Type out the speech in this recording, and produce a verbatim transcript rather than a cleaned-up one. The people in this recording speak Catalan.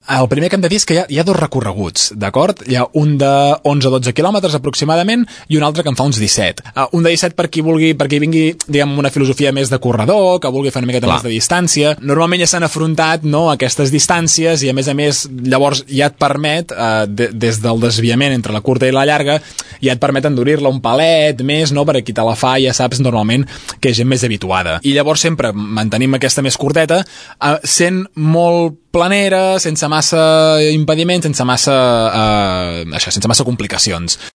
El primer que hem de dir és que hi ha, hi ha dos recorreguts, d'acord? Hi ha un de onze a dotze quilòmetres aproximadament i un altre que en fa uns disset. Uh, un de disset per qui vulgui, per qui vingui, diguem, una filosofia més de corredor, que vulgui fer una miqueta Clar. més de distància. Normalment ja s'han afrontat, no, aquestes distàncies i a més a més llavors ja et permet, uh, de, des del desviament entre la curta i la llarga, ja et permet endurir-la un palet més, no, per a qui te la fa, ja saps normalment que és gent més habituada. I llavors sempre mantenim aquesta més curteta, uh, sent molt planera, sense massa impediments, sense massa, eh, això, sense massa complicacions.